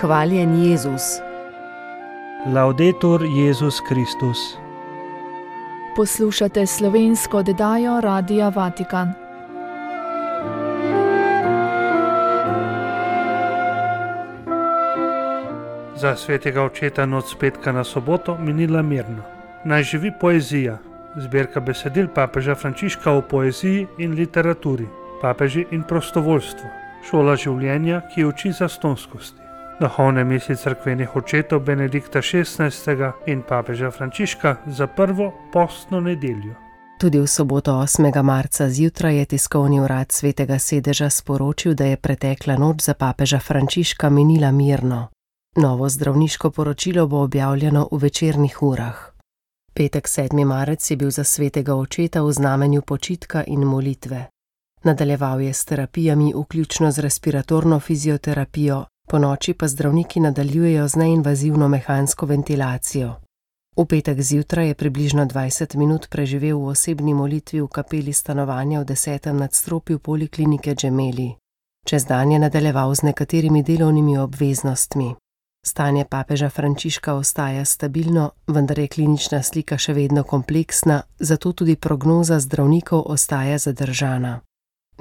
Hvaljen Jezus. Laudetur Jezus Kristus. Poslušate slovensko oddajo Radia Vatikan. Za svetega očeta noč s petka na soboto minila mirno. Naj živi poezija. Zbirka besedil papeža Frančiška o poeziji in literaturi, papeži in prostovoljstvo. Šola življenja, ki uči zastonskosti. Duhovne misli cerkvenih očetov Benedikta XVI. In papeža Frančiška za prvo postno nedeljo. Tudi v soboto 8. marca zjutraj je tiskovni urad Svetega sedeža sporočil, da je pretekla noč za papeža Frančiška minila mirno. Novo zdravniško poročilo bo objavljeno v večernih urah. Petek 7. marec je bil za svetega očeta v znamenju počitka in molitve. Nadaljeval je s terapijami, vključno z respiratorno fizioterapijo, ponoči pa zdravniki nadaljujejo z neinvazivno mehansko ventilacijo. V petek zjutraj je približno 20 minut preživel v osebni molitvi v kapeli stanovanja v 10. nadstropju poliklinike Gemelli. Čez dan je nadaljeval z nekaterimi delovnimi obveznostmi. Stanje papeža Frančiška ostaja stabilno, vendar je klinična slika še vedno kompleksna, zato tudi prognoza zdravnikov ostaja zadržana.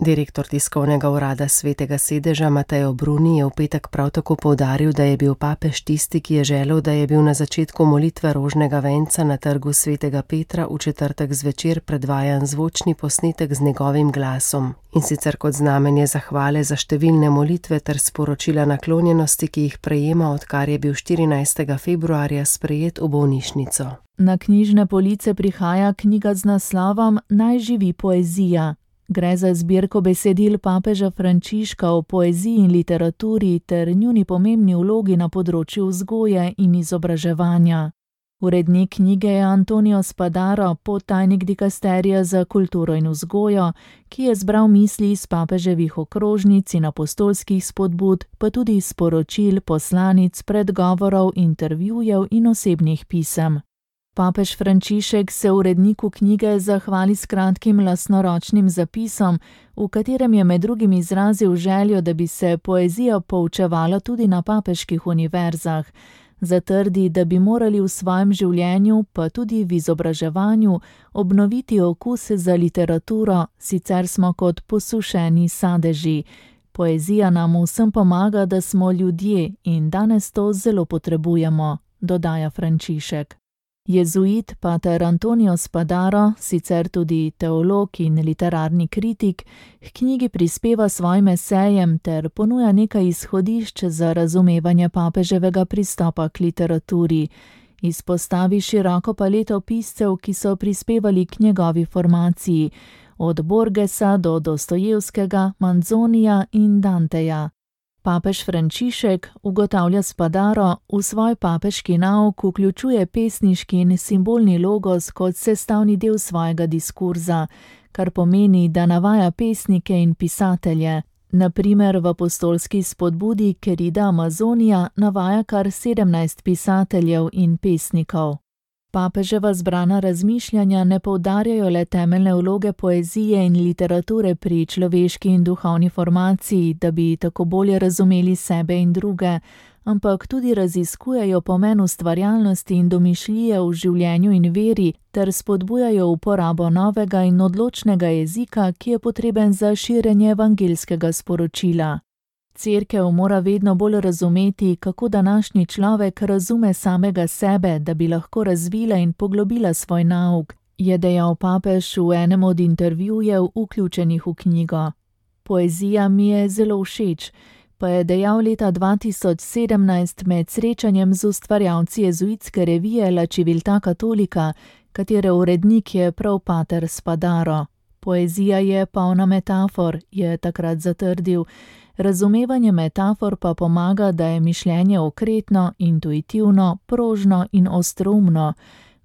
Direktor tiskovnega urada Svetega sedeža Matteo Bruni je v petek prav tako poudaril, da je bil papež tisti, ki je želel, da je bil na začetku molitve rožnega venca na trgu Svetega Petra v četrtek zvečer predvajan zvočni posnetek z njegovim glasom, in sicer kot znamenje zahvale za številne molitve ter sporočila naklonjenosti, ki jih prejema, odkar je bil 14. februarja sprejet v bolnišnico. Na knjižne police prihaja knjiga z naslovom Naj živi poezija. Gre za zbirko besedil papeža Frančiška o poeziji in literaturi ter njuni pomembni vlogi na področju vzgoje in izobraževanja. Urednik knjige je Antonio Spadaro, podtajnik dikasterija za kulturo in vzgojo, ki je zbral misli iz papeževih okrožnic in apostolskih spodbud, pa tudi sporočil, poslanic, predgovorov, intervjujev in osebnih pisem. Papež Frančišek se uredniku knjige zahvali s kratkim lastnoročnim zapisom, v katerem je med drugim izrazil željo, da bi se poezija poučevala tudi na papeških univerzah. Zatrdi, da bi morali v svojem življenju, pa tudi v izobraževanju, obnoviti okus za literaturo, sicer smo kot posušeni sadeži. Poezija nam vsem pomaga, da smo ljudje in danes to zelo potrebujemo, dodaja Frančišek. Jezuit pater Antonio Spadaro, sicer tudi teolog in literarni kritik, k knjigi prispeva svojim esejem ter ponuja nekaj izhodišč za razumevanje papeževega pristopa k literaturi. Izpostavi široko paleto piscev, ki so prispevali k njegovi formaciji, od Borgesa do Dostojevskega, Manzonija in Danteja. Papež Frančišek, ugotavlja Spadaro, v svoj papeški nauk vključuje pesniški in simbolni logos kot sestavni del svojega diskurza, kar pomeni, da navaja pesnike in pisatelje. Na primer v apostolski spodbudi Querida Amazonija navaja kar 17 pisateljev in pesnikov. Papeževa zbrana razmišljanja ne poudarjajo le temeljne vloge poezije in literature pri človeški in duhovni formaciji, da bi tako bolje razumeli sebe in druge, ampak tudi raziskujejo pomen ustvarjalnosti in domišljije v življenju in veri ter spodbujajo uporabo novega in odločnega jezika, ki je potreben za širjenje evangeljskega sporočila. Cerkev mora vedno bolj razumeti, kako današnji človek razume samega sebe, da bi lahko razvila in poglobila svoj nauk, je dejal papež v enem od intervjujev vključenih v knjigo. Poezija mi je zelo všeč, pa je dejal leta 2017 med srečanjem z ustvarjalci jezuitske revije La Civiltà Cattolica, katere urednik je prav pater Spadaro. Poezija je polna metafor, je takrat zatrdil. Razumevanje metafor pa pomaga, da je mišljenje okretno, intuitivno, prožno in ostroumno.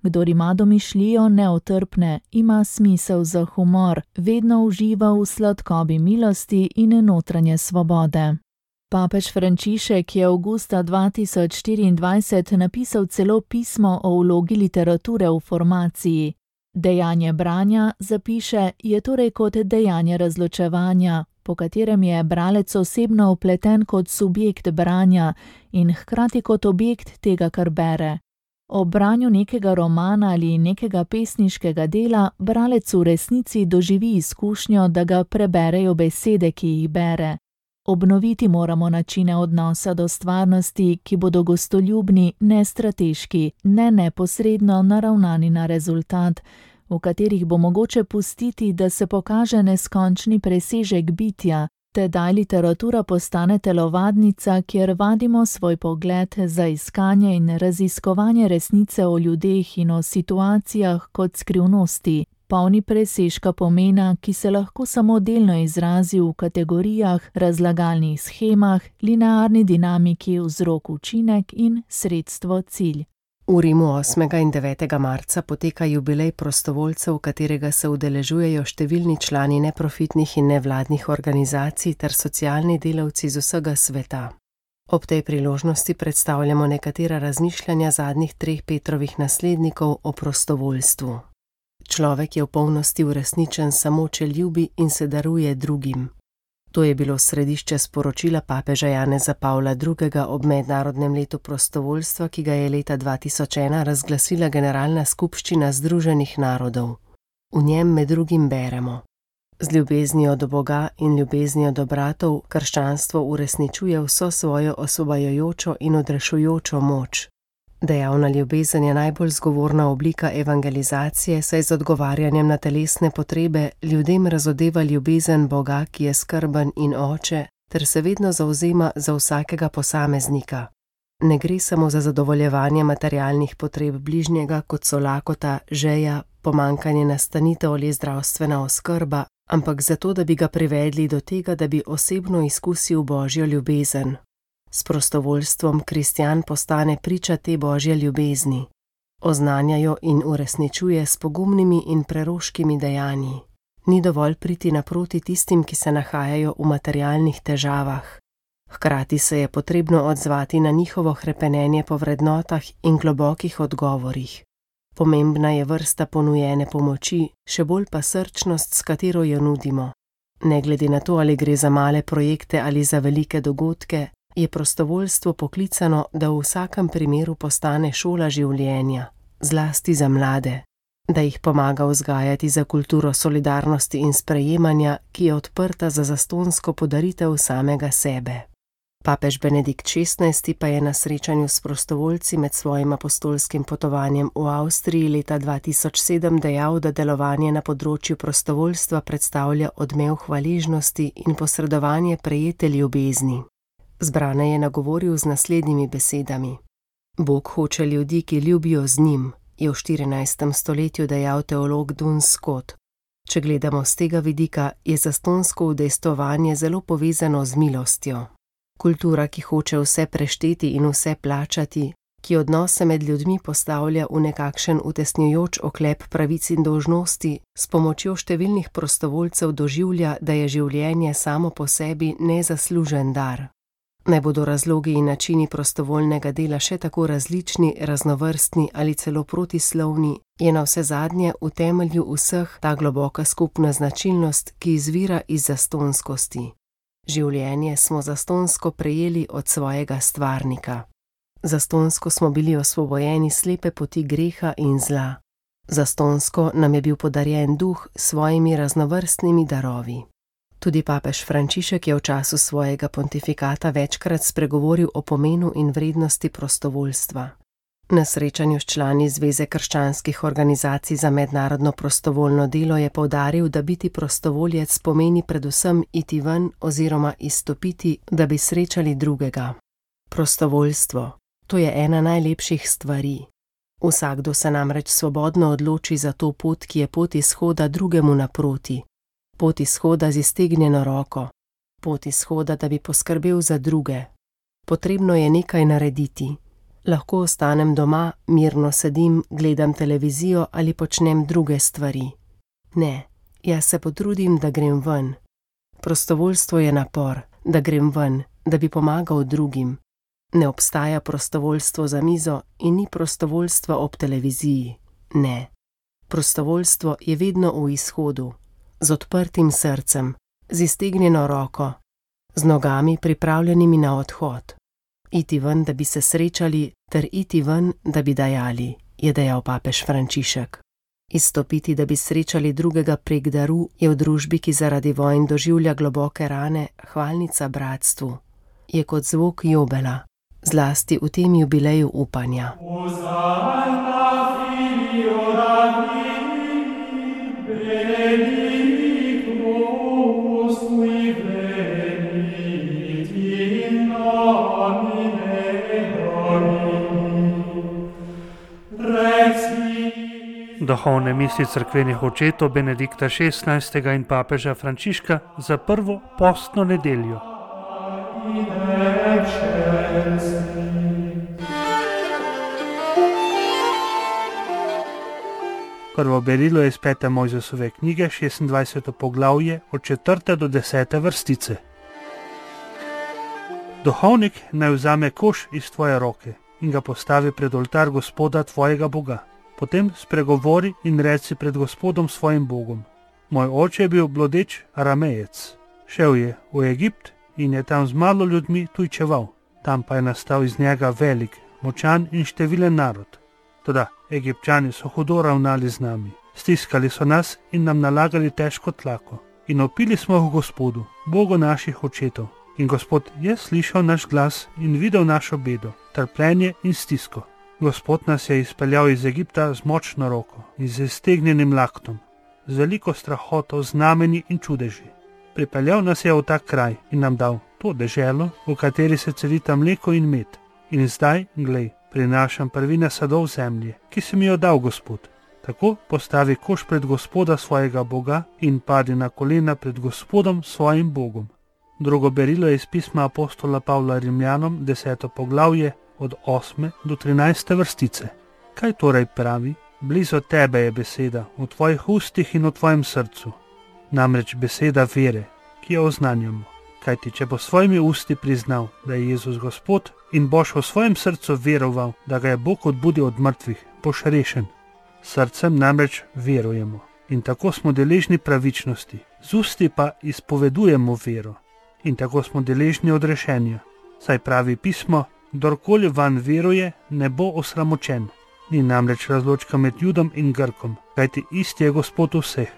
Kdor ima domišljijo neotrpne, ima smisel za humor, vedno uživa v sladkobi milosti in notranje svobode. Papež Frančišek je avgusta 2024 napisal celo pismo o vlogi literature v formaciji. Dejanje branja, zapiše, je torej kot dejanje razločevanja, po katerem je bralec osebno vpleten kot subjekt branja in hkrati kot objekt tega, kar bere. Ob branju nekega romana ali nekega pesniškega dela bralec v resnici doživi izkušnjo, da ga preberejo besede, ki jih bere. Obnoviti moramo načine odnosa do stvarnosti, ki bodo gostoljubni, ne strateški, ne neposredno naravnani na rezultat, v katerih bo mogoče pustiti, da se pokaže neskončni presežek bitja, tedaj literatura postane telovadnica, kjer vadimo svoj pogled za iskanje in raziskovanje resnice o ljudeh in o situacijah kot skrivnosti, polni presežka pomena, ki se lahko samo delno izrazi v kategorijah, razlagalnih shemah, linearni dinamiki vzrok-učinek in sredstvo-cilj. V Rimu 8. in 9. marca poteka jubilej prostovoljcev, katerega se udeležujejo številni člani neprofitnih in nevladnih organizacij ter socialni delavci z vsega sveta. Ob tej priložnosti predstavljamo nekatera razmišljanja zadnjih 3 Petrovih naslednikov o prostovoljstvu. Človek je v polnosti uresničen samo, če ljubi in se daruje drugim. To je bilo središče sporočila papeža Janeza Pavla II. Ob mednarodnem letu prostovoljstva, ki ga je leta 2001 razglasila Generalna skupščina Združenih narodov. V njem med drugim beremo: z ljubeznijo do Boga in ljubeznijo do bratov krščanstvo uresničuje vso svojo osvobajajočo in odrešujočo moč. Dejavna ljubezen je najbolj zgovorna oblika evangelizacije, saj z odgovarjanjem na telesne potrebe ljudem razodeva ljubezen Boga, ki je skrben in oče, ter se vedno zavzema za vsakega posameznika. Ne gre samo za zadovoljevanje materialnih potreb bližnjega, kot so lakota, žeja, pomanjkanje nastanitev ali zdravstvena oskrba, ampak zato, da bi ga privedli do tega, da bi osebno izkusil Božjo ljubezen. S prostovoljstvom kristjan postane priča te Božje ljubezni. Oznanja jo in uresničuje s pogumnimi in preroškimi dejanji. Ni dovolj priti naproti tistim, ki se nahajajo v materialnih težavah. Hkrati se je potrebno odzvati na njihovo hrepenenje po vrednotah in globokih odgovorih. Pomembna je vrsta ponujene pomoči, še bolj pa srčnost, s katero jo nudimo. Ne glede na to, ali gre za male projekte ali za velike dogodke, je prostovoljstvo poklicano, da v vsakem primeru postane šola življenja, zlasti za mlade, da jih pomaga vzgajati za kulturo solidarnosti in sprejemanja, ki je odprta za zastonjsko podaritev samega sebe. Papež Benedikt XVI. Pa je na srečanju s prostovoljci med svojim apostolskim potovanjem v Avstriji leta 2007 dejal, da delovanje na področju prostovoljstva predstavlja odmev hvaležnosti in posredovanje prejete ljubezni. Zbrane je nagovoril z naslednjimi besedami: Bog hoče ljudi, ki ljubijo z njim, je v 14. stoletju dejal teolog Duns Scott. Če gledamo z tega vidika, je zastonjsko udejstvovanje zelo povezano z milostjo. Kultura, ki hoče vse prešteti in vse plačati, ki odnose med ljudmi postavlja v nekakšen utesnjujoč oklep pravic in dolžnosti, s pomočjo številnih prostovoljcev doživlja, da je življenje samo po sebi nezaslužen dar. Naj bodo razlogi in načini prostovoljnega dela še tako različni, raznovrstni ali celo protislovni, je navsezadnje v temelju vseh ta globoka skupna značilnost, ki izvira iz zastonjskosti. Življenje smo zastonjsko prejeli od svojega stvarnika. Zastonjsko smo bili osvobojeni slepe poti greha in zla. Zastonjsko nam je bil podarjen duh s svojimi raznovrstnimi darovi. Tudi papež Frančišek je v času svojega pontifikata večkrat spregovoril o pomenu in vrednosti prostovoljstva. Na srečanju s člani Zveze krščanskih organizacij za mednarodno prostovoljno delo je poudaril, da biti prostovoljec pomeni predvsem iti ven oziroma izstopiti, da bi srečali drugega. Prostovoljstvo, to je ena najlepših stvari. Vsakdo se namreč svobodno odloči za to pot, ki je pot izhoda drugemu naproti. Pot izhoda z iztegnjeno roko. Pot izhoda, da bi poskrbel za druge. Potrebno je nekaj narediti. Lahko ostanem doma, mirno sedim, gledam televizijo ali počnem druge stvari. Ne, jaz se potrudim, da grem ven. Prostovoljstvo je napor, da grem ven, da bi pomagal drugim. Ne obstaja prostovoljstvo za mizo in ni prostovoljstva ob televiziji. Ne. Prostovoljstvo je vedno v izhodu, z odprtim srcem, z iztegnjeno roko, z nogami pripravljenimi na odhod. Iti ven, da bi se srečali, ter iti ven, da bi dajali, je dejal papež Frančišek. Izstopiti, da bi srečali drugega prek daru, je v družbi, ki zaradi vojn doživlja globoke rane, hvalnica bratstvu. Je kot zvok jubela, zlasti v tem jubileju upanja. Duhovne misli cerkvenih očetov Benedikta XVI. In papeža Frančiška za prvo postno nedeljo. Prvo berilo je iz 5. Mojzesove knjige, 26. poglavje, od 4. do 10. vrstice. Duhovnik naj vzame koš iz tvoje roke in ga postavi pred oltar Gospoda tvojega Boga. Potem spregovori in reci pred Gospodom svojim Bogom. Moj oče je bil blodeč Aramejec. Šel je v Egipt in je tam z malo ljudmi tujčeval. Tam pa je nastal iz njega velik, močan in številen narod. Toda Egipčani so hudo ravnali z nami. Stiskali so nas in nam nalagali težko tlako. In opili smo v Gospodu, Bogu naših očetov. In Gospod je slišal naš glas in videl našo bedo, trpljenje in stisko. Gospod nas je izpeljal iz Egipta z močno roko in z iztegnjenim laktom, z veliko strahoto, znamenji in čudeži. Pripeljal nas je v ta kraj in nam dal to deželo, v kateri se celita mleko in med. In zdaj, glej, prinašam prvine sadov zemlje, ki si mi jo dal, Gospod. Tako postavi koš pred Gospoda svojega Boga in padi na kolena pred Gospodom svojim Bogom. Drugo berilo je iz pisma apostola Pavla Rimljanom, 10. poglavje, od 8. do 13. vrstice. Kaj torej pravi? Blizu tebe je beseda, v tvojih ustih in v tvojem srcu. Namreč beseda vere, ki jo oznanjamo. Kajti, če bo svojimi usti priznal, da je Jezus Gospod, in boš v svojem srcu veroval, da ga je Bog odbudil od mrtvih, boš rešen. Srcem namreč verujemo in tako smo deležni pravičnosti, z usti pa izpovedujemo vero in tako smo deležni odrešenja. Saj pravi pismo, kdorkoli van veruje, ne bo osramočen. Ni namreč razločka med Judom in Grkom, kajti isti je Gospod vseh,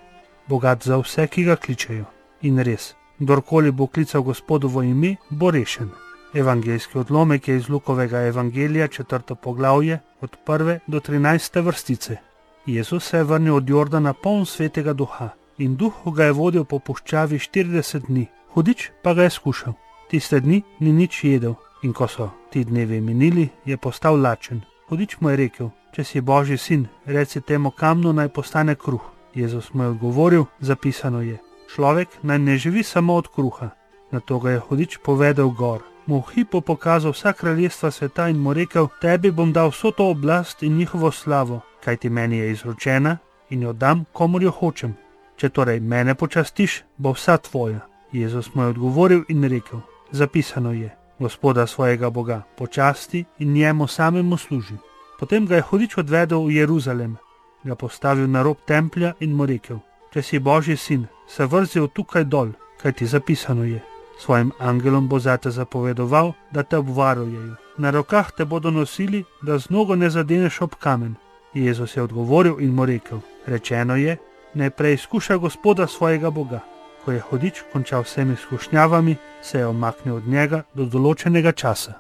bogat za vse, ki ga kličejo. In res, kdorkoli bo klical Gospodovo ime, bo rešen. Evangeljski odlomek je iz Lukovega evangelija, 4. poglavje, od 1. do 13. vrstice. Jezus se je vrnil od Jordana poln svetega duha in duh ga je vodil po puščavi 40 dni. Hudič pa ga je skušal. Tiste dni ni nič jedel. In ko so ti dnevi minili, je postal lačen. Hudič mu je rekel, če si Božji sin, reci temu kamnu naj postane kruh. Jezus mu je odgovoril, zapisano je, človek naj ne živi samo od kruha. Nato ga je hudič povedal gor, mu v hipu pokazal vsa kraljestva sveta in mu rekel, tebi bom dal vso to oblast in njihovo slavo, kajti meni je izročena in jo dam, komur jo hočem. Če torej mene počastiš, bo vsa tvoja. Jezus mu je odgovoril in rekel, zapisano je, Gospoda svojega Boga počasti in njemu samemu služi. Potem ga je hudič odvedel v Jeruzalem, ga postavil na rob templja in mu rekel, če si Božji sin, se vrzi tukaj dol, kajti zapisano je, svojim angelom bo zate zapovedoval, da te obvarujejo. Na rokah te bodo nosili, da z nogo ne zadeneš ob kamen. Jezus je odgovoril in mu rekel, rečeno je, naj preizkuša Gospoda svojega Boga. Ko je hudič končal vsemi izkušnjavami, se je omaknil od njega do določenega časa.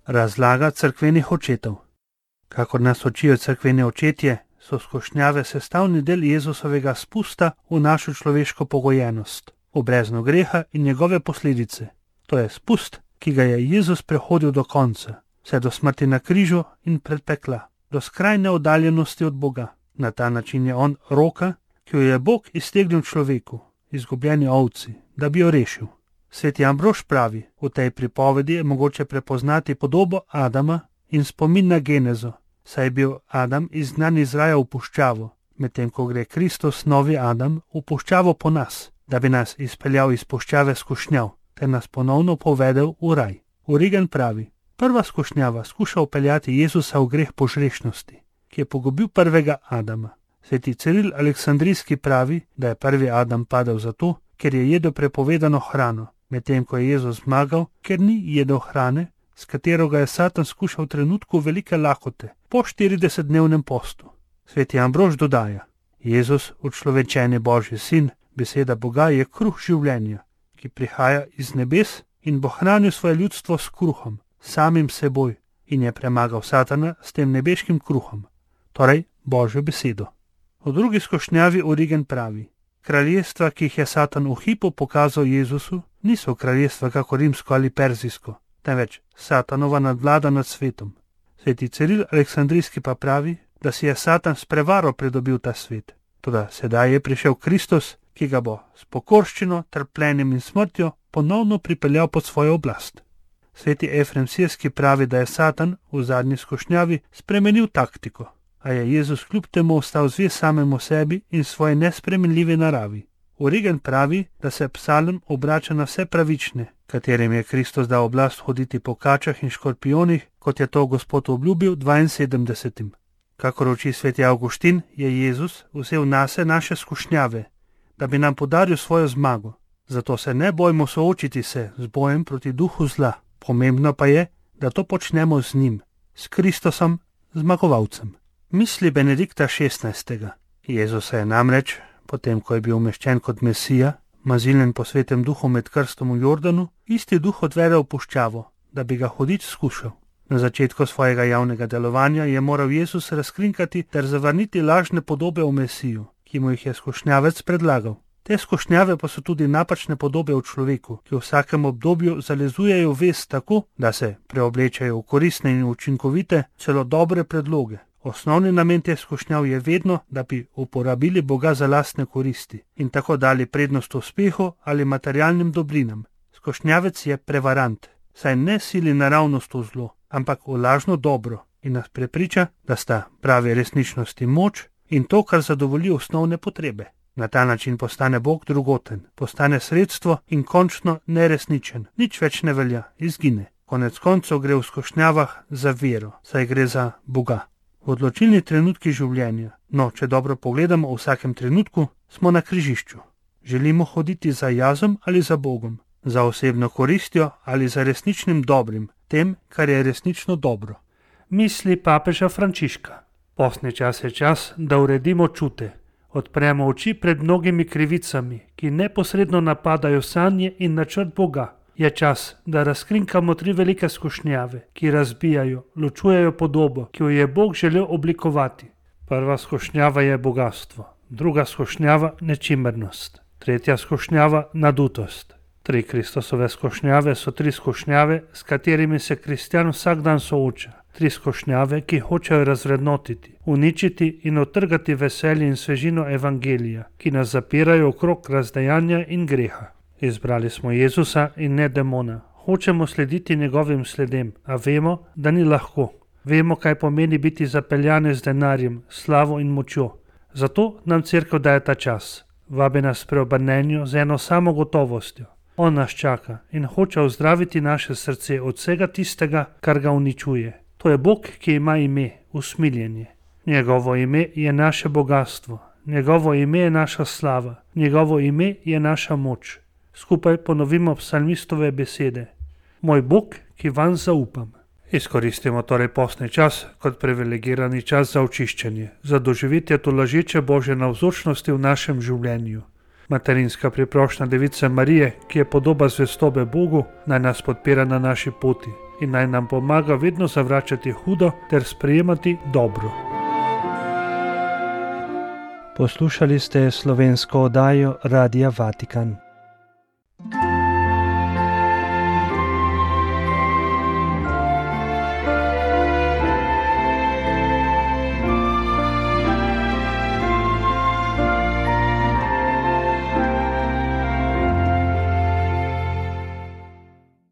Razlaga cerkvenih očetov. Kakor nas učijo cerkveni očetje, so skušnjave sestavni del Jezusovega spusta v našo človeško pogojenost, v brezno greha in njegove posledice. To je spust, ki ga je Jezus prehodil do konca, vse do smrti na križu in pred pekla, do skrajne oddaljenosti od Boga. Na ta način je on roka, ki jo je Bog iztegnil človeku, izgubljeni ovci, da bi jo rešil. Sveti Ambrož pravi, v tej pripovedi je mogoče prepoznati podobo Adama in spomin na genezo, saj je bil Adam izgnan iz raja v puščavo, medtem ko gre Kristus, novi Adam, v puščavo po nas, da bi nas izpeljal iz puščave skušnjav, ter nas ponovno povedel v raj. Origen pravi, prva skušnjava skuša upeljati Jezusa v greh požrešnosti, ki je pogubil prvega Adama. Sveti Ciril Aleksandrijski pravi, da je prvi Adam padel zato, ker je jedel prepovedano hrano, medtem ko je Jezus zmagal, ker ni jedel hrane, s katero ga je Satan skušal v trenutku velike lakote, po 40-dnevnem postu. Sveti Ambrož dodaja: Jezus, učlovečeni Božji sin, beseda Boga, je kruh življenja, ki prihaja iz nebes in bo hranil svoje ljudstvo s kruhom, samim seboj, in je premagal Satana s tem nebeškim kruhom, torej Božjo besedo. V drugi skušnjavi Origen pravi: kraljestva, ki jih je Satan v hipu pokazal Jezusu, niso kraljestva kako rimsko ali perzijsko, temveč Satanova nadvlada nad svetom. Sveti Ciril Aleksandrijski pa pravi, da si je Satan s prevaro pridobil ta svet. Toda sedaj je prišel Kristus, ki ga bo s pokorščino, trpljenjem in smrtjo ponovno pripeljal pod svojo oblast. Sveti Efrem Sirski pravi, da je Satan v zadnji skušnjavi spremenil taktiko, a je Jezus kljub temu ostal zvest samemu sebi in svoji nespremenljivi naravi. Origen pravi, da se psalm obrača na vse pravične, katerim je Kristus dal oblast hoditi po kačah in škorpionih, kot je to Gospod obljubil 72. Kakor uči sveti Avguštin, je Jezus vzel nase naše skušnjave, da bi nam podaril svojo zmago. Zato se ne bojmo soočiti se z bojem proti duhu zla. Pomembno pa je, da to počnemo z njim, s Kristusom, zmagovalcem. Misli Benedikta XVI. Jezus je namreč, potem ko je bil umeščen kot Mesija, maziljen po svetem duhu med krstom v Jordanu, isti duh odvede v puščavo, da bi ga hudič skušal. Na začetku svojega javnega delovanja je moral Jezus razkrinkati ter zavrniti lažne podobe o Mesiju, ki mu jih je skušnjavec predlagal. Te skušnjave pa so tudi napačne podobe o človeku, ki v vsakem obdobju zalezujejo vest tako, da se preoblečajo v koristne in učinkovite, celo dobre predloge. Osnovni namen teh skušnjav je vedno, da bi uporabili Boga za lastne koristi in tako dali prednost uspehu ali materialnim dobrinam. Skušnjavec je prevarant, saj ne sili naravnost v zlo, ampak v lažno dobro in nas prepriča, da sta pravi resničnosti moč in to, kar zadovolji osnovne potrebe. Na ta način postane Bog drugoten, postane sredstvo in končno neresničen, nič več ne velja, izgine. Konec koncev gre v skušnjavah za vero, saj gre za Boga. V odločilni trenutki življenja, no, če dobro pogledamo, v vsakem trenutku smo na križišču. Želimo hoditi za jazom ali za Bogom, za osebno koristjo ali za resničnim dobrim, tem, kar je resnično dobro. Misli papeža Frančiška. Postni čas je čas, da uredimo čute. Odpremo oči pred mnogimi krivicami, ki neposredno napadajo sanje in načrt Boga. Je čas, da razkrinkamo 3 velike skušnjave, ki razbijajo, ločujejo podobo, ki jo je Bog želel oblikovati. Prva skušnjava je bogastvo, druga skušnjava nečimrnost, tretja skušnjava nadutost. 3 Kristusove skušnjave so 3 skušnjave, s katerimi se kristjan vsak dan sooča. 3 skušnjave, ki hočejo razvrednotiti, uničiti in otrgati veselje in svežino evangelija, ki nas zapirajo okrog razdejanja in greha. Izbrali smo Jezusa in ne demona. Hočemo slediti njegovim sledem, a vemo, da ni lahko. Vemo, kaj pomeni biti zapeljani z denarjem, slavo in močjo. Zato nam cerkev daje ta čas. Vabi nas preobrnenju z eno samo gotovostjo. On nas čaka in hoče ozdraviti naše srce od vsega tistega, kar ga uničuje. To je Bog, ki ima ime, usmiljenje. Njegovo ime je naše bogatstvo, njegovo ime je naša slava, njegovo ime je naša moč. Skupaj ponovimo psalmistove besede. Moj Bog, ki vanj zaupam. Izkoristimo torej postni čas kot privilegirani čas za očiščenje, za doživetje tolažeče Božje navzočnosti v našem življenju. Materinska priprošnja Device Marije, ki je podoba zvestobe Bogu, naj nas podpira na naši poti in naj nam pomaga vedno zavračati hudo ter sprejemati dobro. Poslušali ste slovensko oddajo Radia Vatikan.